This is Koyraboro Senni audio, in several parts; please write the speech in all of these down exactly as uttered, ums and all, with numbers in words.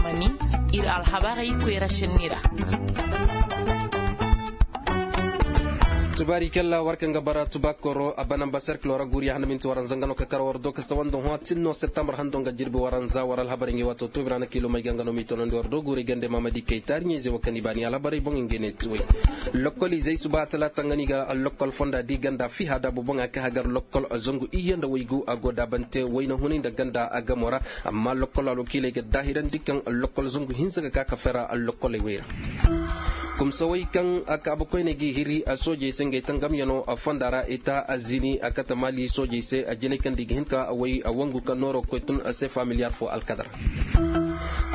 Mani, ir alhabarey koyra senni ra. Tubaari kalla war kaŋ ga bara tubaakoro a bana mba serkilo ra guuriya handa minti waranza nga no ka kar war do ka sawa nda hõ tin no septembre hando nga jirbi waranza war alhabarey ngey waato toobi ra na kiilomey ga nga no m'i tonandi war do guurey gande maamadi kay taariɲey ze wo kaŋ i baani alhabarey boŋ ngey ne tuwey. Lokkol izey suba talaata nga no i ga lokkol fonda di ganda fiha da boboŋa ka hagar lokkol zangu iyye nda waygu a go daabante wayna hunay nda ganda a gamo ra. Amma lokkol alwakiiley ga daahirandi kaŋ lokkol zangu hinza ga ka ka fera lokkoley wey ra. Kumsawey kaŋ a kaabakoyney g'i hiri a soojey se ngey tangamyano a fonda ra ita a zini a kate maali soojey se a jinay kaŋ da i ga hin ka a way a wangu ka nooro koy tun a se familiyar fo alkadar.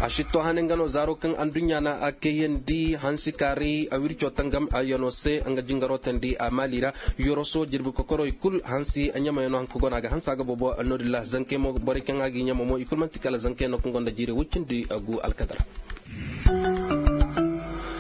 A sitto hane nga no zaaro kaŋ anduɲɲa na a kayandi hansi kaaray a wirco tangam a yano se nga jingaro tandi a maali ra. Yoroso jirbi kokoroy kul hansi a ɲamayano hanka go no a ga hansa ga boobo. Noodin ra zankey mo borey kaŋ a g'i ɲama mo i kul man'ti kala zankey no kaŋ gonda jiiri woy cindi a gu alkadar.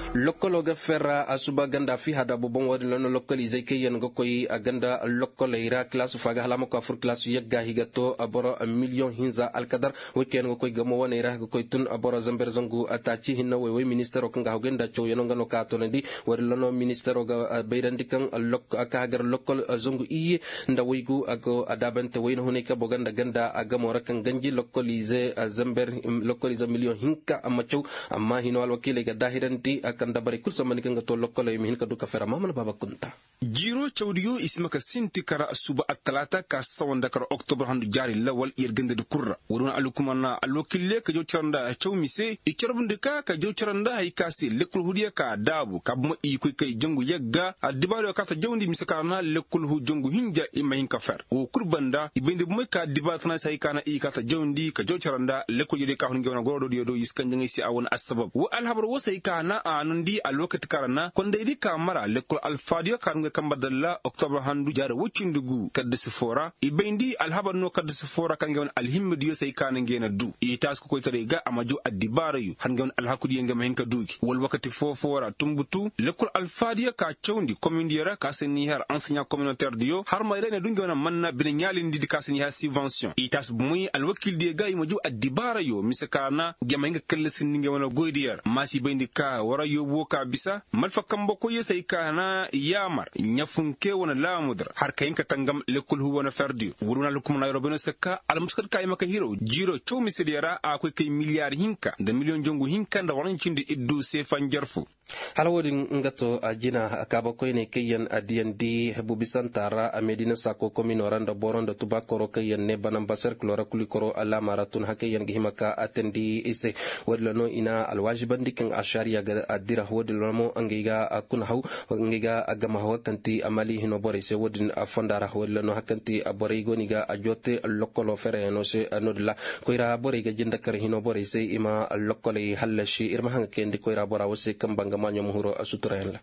Lokkolo ga ferra a suba ganda fi hada boboŋ wo-din ra no lokkoliizey kaŋ yaŋ ga koy a ganda lokkoley ra kilaasu fo a ga hala a ma koy a fur kilaasu yagga hi ga to boro miliyoŋ hinza alkadar. Wo kaŋ yaŋ ga koy gamo waney ra ga koy tun boro zamber zangu taaci hinne woy woy ministaro kaŋ ga hagu nda cawyaŋo nga no ka a toonandi. Wo-din ra no ministaro ga bayrandi kaŋ a ka hagar lokkol zangu iyye nda waygu a go a daabante wayna hunay kabo ganda ganda a gamo ra kaŋ ganji lokkoliize zamber lokkoliize miliyoŋ hinka a ma caw. Amma hino alwakiiley ga daahirandi a kaŋ dabarey kul sambandi kaŋ ga to lokkoley ma hin ka du ka fera maamana baaba kunta. Jiiro cawdiyo i si ma ka sinti kara suba attalaata ka sawa nda kara oktobra handu jaari lawal yer gandadi kul ra. Woodi wane alhukumar na alwakiildiyo ka jaw cara nda caw mise i carbundi ka ka jaw cara nda hay ka se lekkol hudiyo ka daabu ka buma i koy kay jangu yagga addibaariyo ka ta jawndi mise ka ra na lekkol hu jangu hinja i ma hin ka fer wo kul banda i bayndi bumey ka addibaari tana se hay ka na i ka ta jawndi ka jaw cara nda lekkol jediyo ka hun ngey wane gorodiyo do i si kanjaŋey se a wane assabab wo alhabar wo se hay ka na a nundi alwakati ka ra na kondaydi ka mara lekkol alfaadiyo ka ra ngey kamba dalla oktobra handu jaari woy cindi gu kaddasi fo ra i bayndi alhabar no kaddasi fo ra ka ra ngey wane alhimmadiyo se hay ka na ngey na du i taasi kokoytaray ga a ma jaw addibaarayo har ngey wane alhakudiyo ngey ma hin ka du gi wala wakati foo-foo ra tunbutu lekkol alfaadiyo ka cawndi komindiyo ra ka se n'i har anseɲa kominotɛrdiyo har ma i ra i na du ngey wane manna bine ɲaalindidi ka se n'i har sibansiyoŋ i taasi bumey alwakiildiyo ga i ma jaw addibaarayo mise ka ra na ngey ma hin ka kallasindi ngey wane goydiyo ra ma si bayndi ka wara yoobu wo ka bisa malfa kambe koyyo se hay ka na yaamar ɲafunke wane laamudi ra har ka hin ka tangam lekkol hu wane ferdiyo woodi wane alhukumanaa yeroo bayno se ka almuskad ka i ma ka hiraw jiiroo caw misediyo ra a koy kay miliyaar hinka nda miliyoŋ jangu hinka nda waranci nda iddu seefa njarfu. Hala wo-din nga to a jina kaabakoyney kaŋ yaŋ a diyandi hebu bisanta ra a meedina saako komino ra nda boro nda tubaakoro kaŋ yaŋ ne banamba serkilo ra kulikoro alaama ra tun hakey yaŋ ga hima ka a teendi i se. Wo-din ra no i na alwaazibandi kaŋ ašariya ga a dira wo-din ra mo ngey ga a kuna haw ngey ga a gama haw kaŋ ti a mali hino borey se wo-din a fonda ra wo-din ra no hari kaŋ ti a borey go no i ga a joote lokkolo fereyaŋo se. No-din ra koyra borey ga jinde kar hino borey se i ma lokkoley hallasi ir ma haŋ ga kayandi koyra bora wo se kaŋ ba nga maaɲo ma huru a suturayaŋ ra.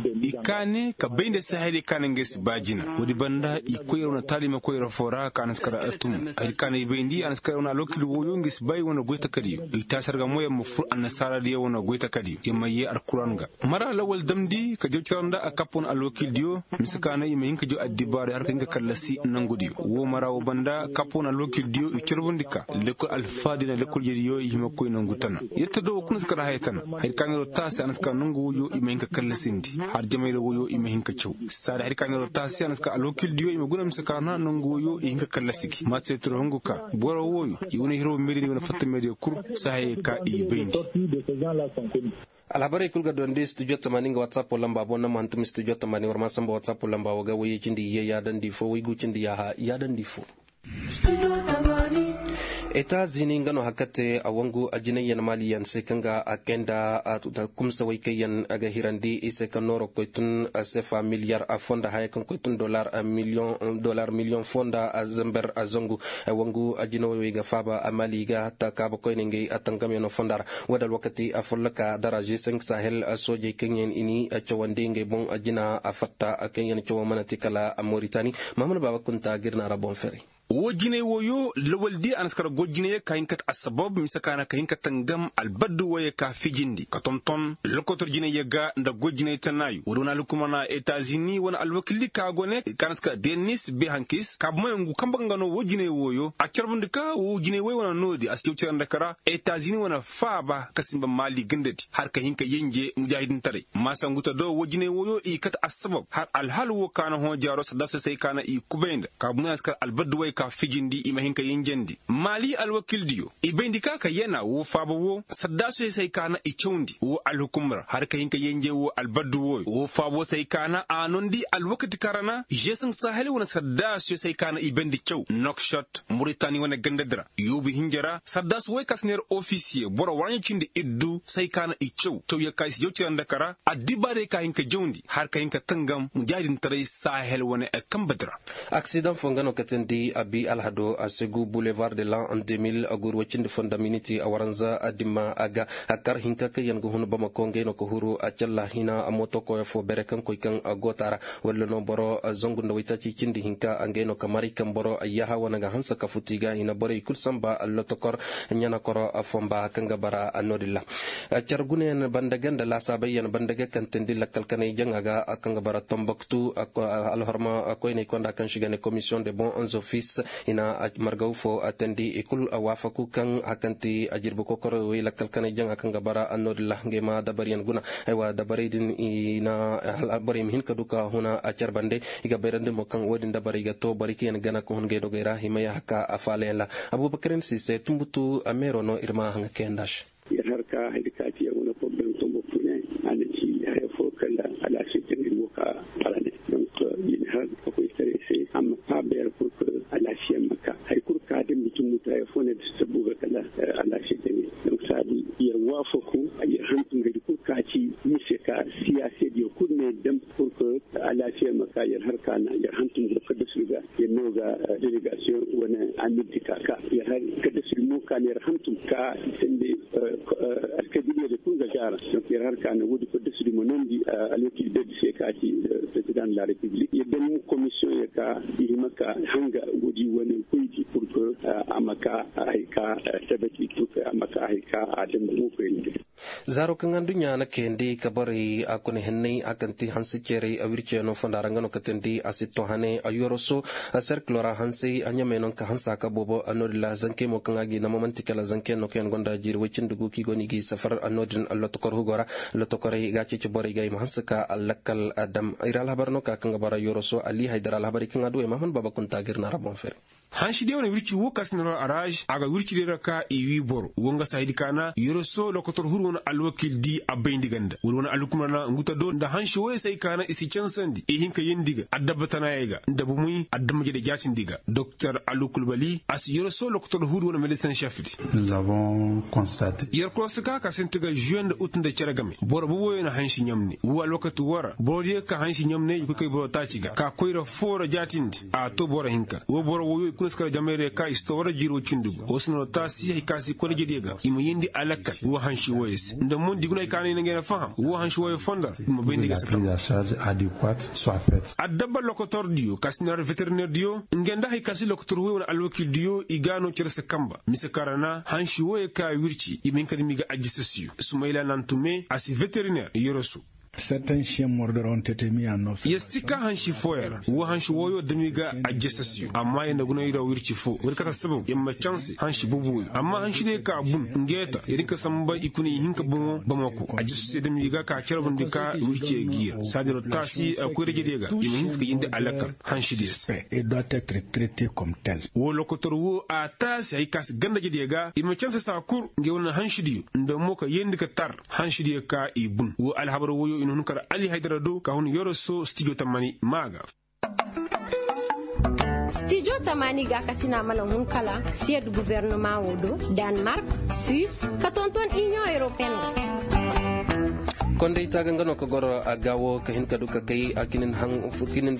I kaane ka bay nda se hayray kaŋ a na ngey si ba jina woodi banda i koyra wane taalima koyra fo ra kaŋ a na si kar a tum hayray kaŋ a na i bayndi a na si kar wane alwakil wooyo ngey si bay wane goy takadiyo i taasi ra ga mo yer ma fur annasaaradiyo wane goy takadiyo yer ma yee alkuran ga mara lawal damndi ka jaw cara nda a kapp wane alwakildiyo mise ka na i ma hin ka jaw addibaarey har ka hin ka kallasi nangudiyo woo mara woo banda kapp wane alwakildiyo i carbundi ka lekkol alfaadiyo nda lekkol jediyo i hima koy nangu tana yetta do woo kul na si kar haya tana hayray kaŋ a na yeroo taasi a na si kar nangu wooyo i ma hin ka kallasindi har jamayra wooyo i ma hin ka caw saadi hayray kaŋ a na yeroo taasi a na si kar alwakildiyo i ma guna mise ka na nangu wooyo i hin ka kallasi gi ma seetiro hungu ka boro wooyo i wane hiroo meediyo nda i wane fatta meediyo kul si hayey ka i bayndi. Alhabarey kul ga dondi studio tamaani nga whatsapp lamba boŋ na ma hantum studio tamaani war ma samba whatsapp lamba wo ga wayye cindi iyye yaadandi fo waygu cindi yaaha yaadandi fo. Eta zini nga no hakate a wangu a jinayyan maliyan se kaŋ ga a kayanda kumsawey kaŋ yaŋ a ga hirandi i se kaŋ nooro koy tun sefa miliyar a fonda haya kaŋ koy tun dolar miliyoŋ fonda a zamber a zangu. Wangu a jinawey wey ga faaba a mali ga hatta kaaba koyne ngey a tangamyano fonda ra. Wo-din alwakati a folloka darazi cinq sahel soojey kaŋ yaŋ i ni cawandi ngey boŋ jina a fatta kaŋ yaŋ cawo mana ti kala moritani. Mahamadu baaba kunta ga ir na ra boŋ ferey. Woo jinay wooyo lawal di a na si kar goy jinay ka hin ka ta assabab mise ka na ka hin ka tangam albaddi wooyo ka fiijindi ka tonton lokotor jinay yagga nda goy jinay tanaayu woodi wane alhukumar na etazini wane alwakildi ka go ne ka na si kar denis behankis ka bumayaŋ gu kamba ka nga no woo jinay wooyo a carbundi ka woo jinay wooyo wane noodi a si jaw cere nda kara etazini wane faaba ka simba maali gandadi har ka hin ka yenje mujaahidintaray maasa ngu ta do woo jinay wooyo i kate assabab har alhal woo ka na hõ jaaro sadda soosey ka na i kubay nda ka bumayaŋ si kar albaddi wooyo ka fiijindi i ma hin ka yenjendi maali alwakildiyo i bayndi ka ka yana woo faaba woo sadda soosey ka na i cawndi woo alhukumar har ka hin ka yenje woo albaddi wooyo woo faaba woo sey ka na a noondi alwakati kaŋ ra na žeesaŋ sahel wane sadda soosey ka na i bayndi caw nokšot muritani wane gandadi ra yoobu hinja ra sadda soosey ka si neera ofisiye boro waaɲa cindi iddu sey ka na i caw caw ya ka i si jaw cere nda kara addibaarey ka hin ka jawndi har ka hin ka tangam mujaahidintaray sahel wane kambadi ra. Aksidaŋ foo nga no katandi abi alhado a segu bulevar de lan de mil a guuru way cindi foo nda miniti a waranza dimma a ga a kar hinka kaŋ yaŋ ga hun bamako ngey no ka huru a calla hina mooto koyo foo bere kaŋ koy kaŋ a goota ra walla no boro zangu nda waytaaci cindi hinka ngey no ka maray kaŋ boro yaaha wane ga hanse ka futu i ga hina borey kul samba lotokor ɲanakoro fomba kaŋ ga bara no-din ra. Car gunayaŋ banda ga nda laasaabay yaŋ banda ga kaŋ teendi lakkal kanay jaŋa ga kaŋ ga bara tomboktu alhorma koyney konda kaŋ se i ga ne komisiyoŋ de bon zofis i na margaw foo teendi i kul waafaku kaŋ a kaŋ ti a jirbi kokorowey lakkal kanay jaŋa kaŋ ga bara no-din ra ngey ma dabariyaŋ guna. Aywa dabarey din i na borey ma hin ka du ka huna a car bande i ga bayrandi mo kaŋ wo-din dabarey ga to borey kaŋ yaŋ gana ka hun ngey dogey ra i ma yaaha ka a faalayaŋ ra. Abubakar ni si se tumbutu meero no ir ma haŋa kayandi a se. Yer har ka hari ka ci yer wane problem tombo pune a na ci haya fo kala alaasiya jaŋay mo ka parane. Donc yer har ka koy taray se a ma faaba yer pour que alaasiya ma ka hari kul ka dambi tumbutu haya fo ne da si tabbu ga kala alaasiya jaŋay. Donc saabi yer waafaku yer hantum hari kul ka ci mise ka siyaasediyo kul ne dam pour que alaasiya ma ka yer har ka na yer hantum go kaddasir ga yer no ga delegasiyoŋ wane amir di ka ka yer har kaddasir mo ka na yer hantum ka sende alkabiliyadi kul ga gaara. Donc yer har ka na woodi kaddasir ma nondi alwakil bedi se ka ci président de la république yer dam komisiyoŋ ya ka i hima ka hanga woodi wane koydi pour que a ma ka hay ka tabati pour que a ma ka hay ka a dam mo koyndi. Zaaro kaŋ adduɲɲa na kayandi ka borey a kuna henney a kaŋ ti hanse ceerey a wirciyaŋo fonda ra nga no katandi a si to hane a yoroso. Serkilo ra hansey a ɲamey no ka hanse a ka boobo a noodin ra zankey mo kaŋ a g'i nama man'ti kala zankeyaŋ no kaŋ yaŋ gonda jiiri woy cindi gu kaŋ i go no i g'i safar a noodin lotokor hugo ra. Lotokorey ga a ceeci borey ga i ma hanse ka a lakkal dam ir alhabar no ka kaŋ ga bara yoroso ali haydar alhabarey kaŋ a du ay ma a hun baaba kunta ga ir na ra boŋ fere. Hansi diyaŋ wane wirci wo ka si na ra araaz a ga wirci diyaŋ ra ka i wii boro wo nga saahidi ka na yoroso lokotor huru wane alwakil di a bayndi ganda wala wane alhukumar na ngu ta do nda hansi wooyey se ay ka na i si cansandi i hin ka yeendi ga adabba tanaayey ga nda bumey adamma jede jaatindi ga doktor alu kulbali a si yoroso lokotor huru wane medisin šef di. Yer korosi ka ka sinti ga žuwe nda ut nda cere game boro booboyo na hansi ɲamne wo alwakati woo ra boro diyaŋ ka hansi ɲamne i koy kay boro taaci ga ka koyra foo ra jaatindi a to boro hinka wo boro wooyo i kuna si kar jamayra ka i si to war jiiro cindi gu wo si no ra taasi hay ka si koyra jediyo ga i ma yeendi alakkal wo hansi wooyo se nda mo nda i guna hay ka no i na ngey na faham wo hansi wooyo fondo ra i ma bayndi ga si taw. Adabba lokotor diyo ka si na ra veterineer diyo ngey nda hay ka si lokotor wooyo wane alwakil diyo i ga no cere se kamba mise kaŋ ra na hansi wooyo ka wirci i ma hin ka dam i ga ajjasasiyo sumayla nantume a si veterineer yoroso. Yer si ka hansi fooyaŋ ra wo hansi wooyo dam i ga ajjasasiyo amma yer na guna i ra wirci foo woodi kate assabab yer ma canse hansi boobo wooyo amma hansi diyaŋ ka bun ngey ta yer hin ka samba i kuna i hin ka bomo bamako ajjasasiyo dam i ga ka carbundi ka wirciyo giira saadiro taasi koyra jediyo ga i ma hinsa ka yeendi alakkal hansi diyaŋ se. Woo lokotor woo a taasi hay ka si ganda jediyo ga i ma canse saa kul ngey wane hansi diyo nda mo ka yeendi ka tar hansi diyo ka i bun woo alhabar wooyo i na hun kar ali haydara do ka hun yoroso stijo tamani maa ga. Stijo tamani ga ka si na a mana hun kala siyed gubernamaa woo do danmark, suis ka tonton iniyoŋ europeen ga. Konday taaga nga no ka goro a gaawo ka hin ka du ka kay a kinin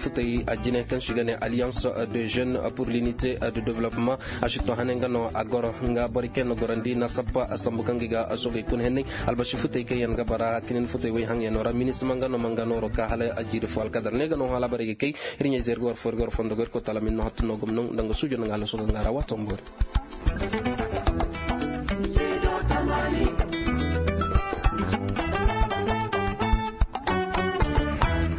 futay a jine kaŋ si ga ne alliance de jeune pour l'unité de développement. A si to hane nga no a goro nga borey kaŋ yaŋ na gorandi na sappa a sambu kaŋ ga i ga a sogey kuna henney. Albasi futay kaŋ yaŋ ga bara kinin futay way haŋyano ra minisima nga no ma nga nooro ka hala a jiiri fo alkadar ne ga no hala borey ga kay. Hirɲey zey ir ga war fo ir ga war fondo go ir koy taala ma ir no hattu no gomno nda nga suujo nda nga hala soga nga ra waato ma boori.